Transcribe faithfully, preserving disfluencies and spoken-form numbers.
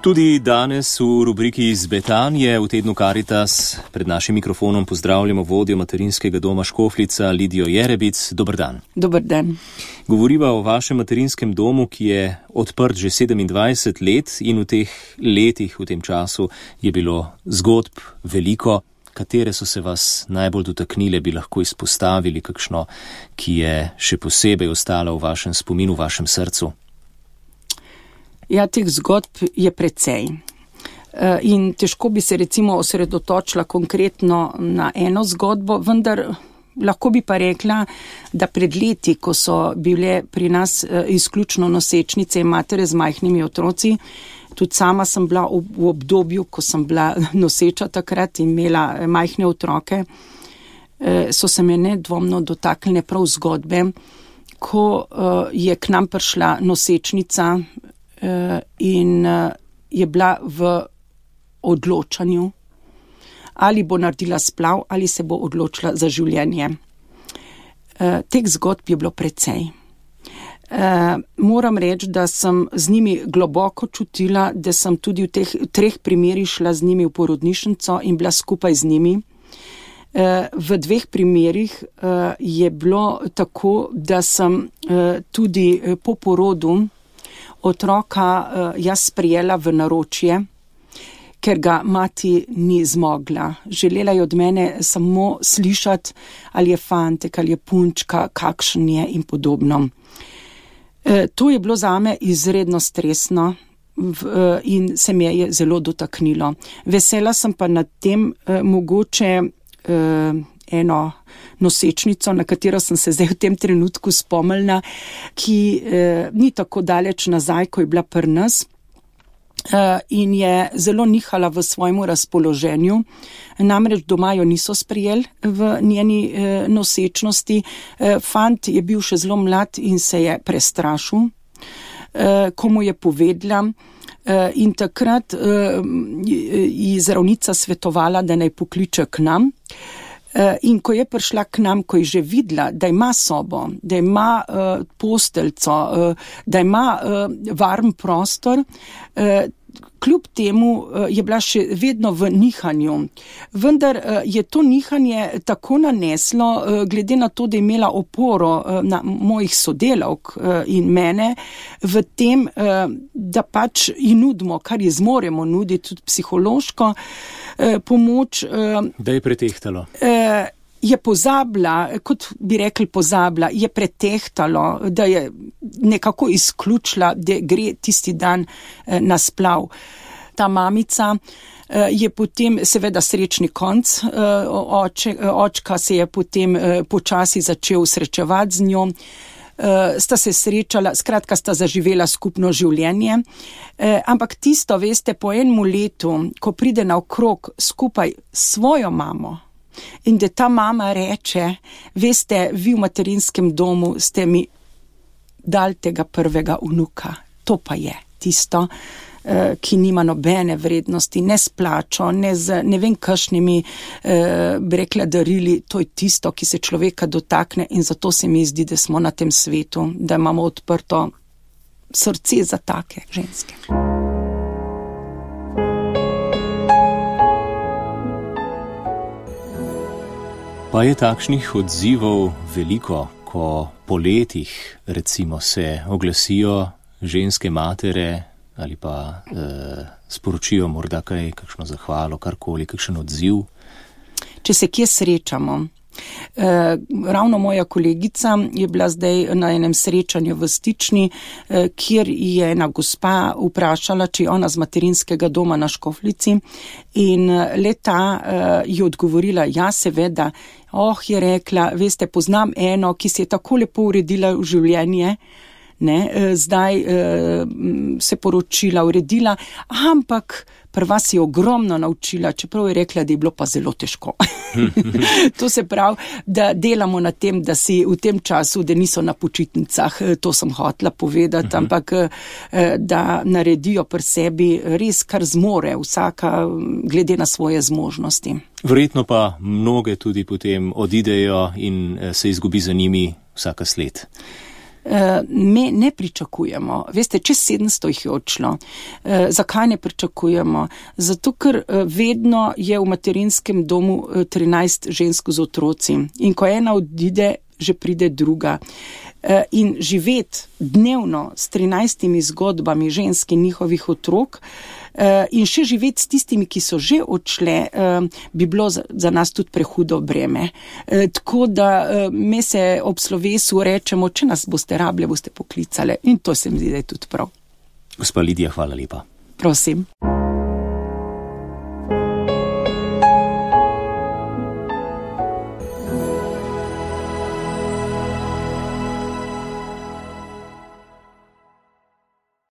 Tudi danes v rubriki Iz Betanje v tednu Karitas pred našim mikrofonom pozdravljamo vodjo materinskega doma Škofljica Lidijo Jerebic. Dober dan. Dober dan. Govoriva o vašem materinskem domu, ki je odprt že sedemindvajset let in v teh letih, v tem času je bilo zgodb veliko. Katere so se vas najbolj dotaknile, bi lahko izpostavili, kakšno, ki je še posebej ostala v vašem spominu, v vašem srcu? Ja, teh zgodb je precej. In težko bi se recimo osredotočila konkretno na eno zgodbo, vendar lahko bi pa rekla, da pred leti, ko so bile pri nas izključno nosečnice in matere z majhnimi otroci, tudi sama sem bila v obdobju, ko sem bila noseča takrat in imela majhne otroke, so se me nedvomno dotaknile prav zgodbe, ko je k nam prišla nosečnica in je bila v odločanju, ali bo naredila splav, ali se bo odločila za življenje. Teh zgodb je bilo precej. Moram reči, da sem z njimi globoko čutila, da sem tudi v teh treh primerih šla z njimi v porodnišnico in bila skupaj z njimi. V dveh primerih je bilo tako, da sem tudi po porodu otroka jaz sprijela v naročje, ker ga mati ni zmogla. Želela je od mene samo slišati, ali je fantek, ali je punčka, kakšen je in podobno. To je bilo zame izredno stresno in se me je zelo dotaknilo. Vesela sem pa nad tem mogoče eno nosečnico, na katero sem se zdaj v tem trenutku spomnila, ki eh, ni tako daleč nazaj, ko je bila pri nas eh, in je zelo nihala v svojemu razpoloženju. Namreč doma jo niso sprijeli v njeni eh, nosečnosti. Eh, fant je bil še zelo mlad in se je prestrašil, eh, ko mu je povedala. Uh, in takrat uh, ji zdravnica svetovala, da naj pokliče k nam. Uh, in ko je prišla k nam, ko je že videla, da ima sobo, da ima uh, posteljco, uh, da ima uh, varen prostor, uh, kljub temu uh, je bila še vedno v nihanju. Vendar uh, je to nihanje tako naneslo, uh, glede na to, da je imela oporo uh, na mojih sodelavk uh, in mene, v tem, uh, da pač ji nudimo, kar ji zmoremo nuditi, tudi psihološko uh, pomoč. Uh, da je pretehtalo. Uh, je pozabila, kot bi rekli pozabila, je pretehtalo, da je nekako izključila, da gre tisti dan uh, na splav. Ta mamica uh, je potem, seveda srečni konc, uh, oče, uh, očka se je potem uh, počasi začel srečevati z njo, uh, sta se srečala, skratka sta zaživela skupno življenje, uh, ampak tisto, veste, po enem letu, ko pride naokrog skupaj s svojo mamo, in da ta mama reče, veste, vi v materinskem domu ste mi dali tega prvega vnuka. To pa je tisto, ki nima nobene vrednosti, ne s plačo, ne z ne vem kakšnimi eh, rekla darili. To je tisto, ki se človeka dotakne in zato se mi zdi, da smo na tem svetu, da imamo odprto srce za take ženske. Pa je takšnih odzivov veliko, ko po letih recimo se oglasijo ženske matere ali pa eh, sporočijo morda kaj, kakšno zahvalo, karkoli, kakšen odziv. Če se kje srečamo. Eh, ravno moja kolegica je bila zdaj na enem srečanju v Stični, eh, kjer je ena gospa vprašala, če je ona z materinskega doma na Škofljici in leta eh, je odgovorila, ja seveda, oh je rekla, veste, poznam eno, ki se je tako lepo uredila v življenje, ne, zdaj eh, se poročila, uredila, ampak pri vas je ogromno naučila, čeprav je rekla, da je bilo pa zelo težko. To se pravi, da delamo na tem, da si v tem času, da niso na počitnicah, to sem hotela povedati, uh-huh. ampak eh, da naredijo pri sebi res kar zmore, vsaka glede na svoje zmožnosti. Verjetno pa mnoge tudi potem odidejo in se izgubi za njimi vsaka sled. Me ne pričakujemo. Veste, čez sedemsto jih je odšlo. Zakaj ne pričakujemo? Zato, ker vedno je v materinskem domu trinajst žensk z otroci. In ko ena odide, že pride druga. In živeti dnevno s trinajstimi zgodbami žensk in njihovih otrok in še živeti s tistimi, ki so že odšle, bi bilo za nas tudi prehudo breme. Tako da me se ob slovesu rečemo, če nas boste rabile, boste poklicale. In to se mi zdi, da je tudi prav. Gospa Lidija, hvala lepa. Prosim.